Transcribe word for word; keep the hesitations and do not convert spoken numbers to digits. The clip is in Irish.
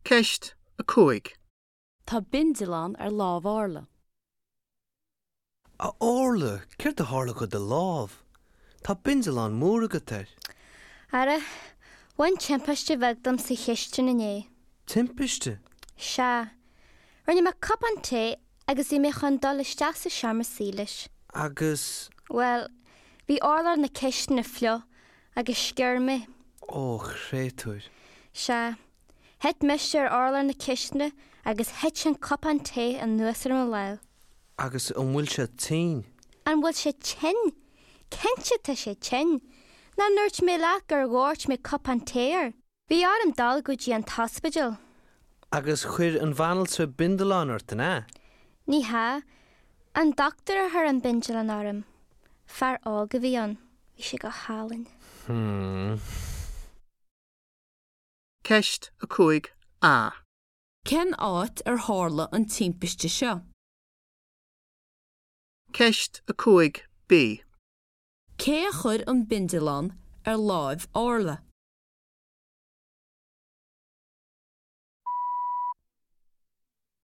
Ceist a cúig. Tá bindealán ar lámh Orla. A Orla, céard a tharla do do lámh? Tá bindealán mór agat air. Ara, bhain timpiste bheag dom sa chistin inné. Timpiste? Sea. Rinne mé cupán tae agus bhí mé chun dul isteach sa seomra suí leis. Agus Bhuel, bhí urlár na cistine fliuch agus sciorr mé. ó chréatúir. Sea, thit mise ar urlár na cistine agus thit an cupán tae anuas ar mo lámh. Agus an bhfuil sé tinn? An bhfuil sé tinn? Cinnte tá sé tinn. Nach ndúirt mé leat gur dhoirt mé cupán tae air. Bhí orm dul go dtí an t-ospidéal. Agus chuir an bhanaltra bindealán ort an ea? Ní hea, an dochtúir a chuir an bindealán orm. Fear óg a bhí ann, bhí sé go hálainn. Hmm. Ceist a cúig A. Cén áit ar tharla an timpiste seo? Ceist a cúig B. Cé a chuir an bindealán ar láimh Orla?